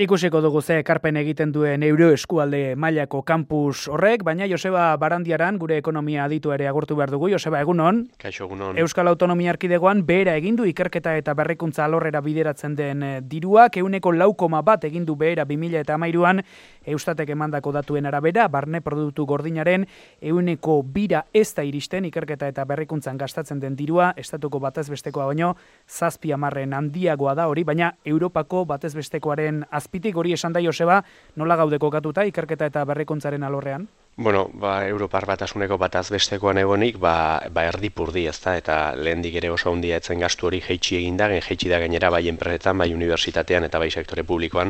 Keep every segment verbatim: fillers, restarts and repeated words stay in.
Ikusiko dugu ze ekarpen egiten duen Euro eskualde mailako kampus horrek, baina Joseba Barandiaran gure ekonomia aditu ere agurtu behar dugu. Joseba, egunon. Kaixo, egunon. Euskal Autonomia Erkidegoan behera egin du ikerketa eta berrikuntza alorrera bideratzen den diruak, ehuneko lau koma bat egin du behera bi mila hamairuan, Eustatek emandako datuen arabera, barne produktu gordinaren ehuneko bira ez da iristen ikerketa eta berrikuntzan gastatzen den dirua, estatuko batez bestekoa baino zazpi hamarren handiagoa da hori, baina Europako batez bestekoaren azpitik hori esan da Joseba, nola gaude kokatuta ikerketa eta berrikuntzaren alorrean? Bueno, ba, Europar batasuneko bataz bestekoan egonik, ba, ba erdipurdi, ezta, eta lehendik ere oso handia etzen gastu hori jeitsi eginda, jeitsi da gainera bai enpresetan, bai unibertsitatean eta bai sektore publikoan,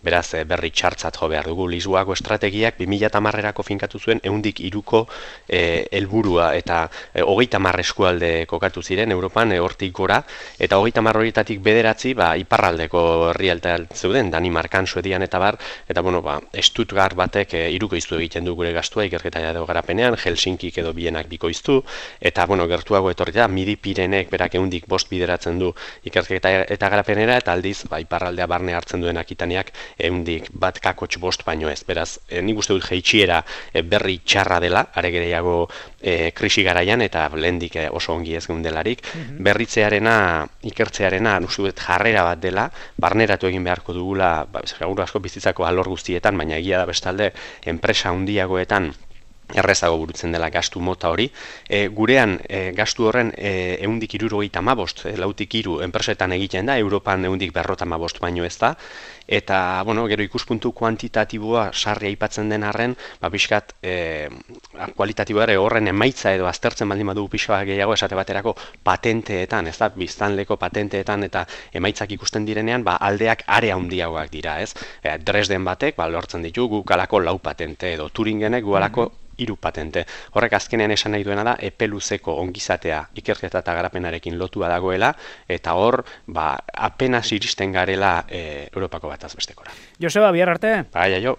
beraz berri txartzat jo behar dugu. Lisboako estrategiak bi mila hamarrerako finkatu zuen ehundik hiruko eh, helburua eta eh, hogeita hamar eskualde kokatu ziren Europan, eh, hortik gora, eta hogeita hamar horietatik bederatzi, ba, iparraldeko herrialdean zeuden, Danimarkan, Suedian eta bar, eta bueno, ba, Stuttgart batek eh, hirukoiztu egiten du gure gastua ikerketa edo garapenean, Helsinkik edo Bienak bikoiztu, eta bueno, gertuago etorri da, Midi Pirenek berak ehundik bost bideratzen du ikerketa eta garapenera, eta aldiz, ba, iparraldea barne hartzen duen Akitaniak ehundik bat kakotx bost baino ez. Beraz, e, nik uste dut jeitsiera e, berri txarra dela, are gehiago e, krisi garaian, eta lehendik e, oso ongi ez geundelarik. Mm-hmm. Berritzearena, ikertzearena, uste dut jarrera bat dela, barneratu egin beharko dugula, ba, seguru asko bizitzako alor guztietan, baina egia da bestalde, enpresa handiagoetan errezago burutzen dela gastu mota hori. E, gurean e, gastu horren e, ehundik hirurogeita hamabost, e, lautik hiru enpresetan egiten da, Europan ehundik berrogeita hamabost baino ez da, eta bueno, gero ikuspuntu kuantitatiboa sarri aipatzen den arren, ba pixkat e, kualitatiboa ere horren emaitza edo aztertzen baldin badugu pixka gehiago esate baterako patenteetan, ez da, biztanleko patenteetan eta emaitzak ikusten direnean, ba aldeak are handiagoak dira, ez? E, Dresden batek, ba lortzen ditu guk alako lau patente edo Turingenek gu alako hiru patente. Horrek azkenean esan nahi duena da epe luzeko ongizatea ikerketa eta garapenarekin lotua dagoela, eta hor, ba, apenas iristen garela e, Europako bataz bestekora. Joseba, bihar arte. Bai, aio.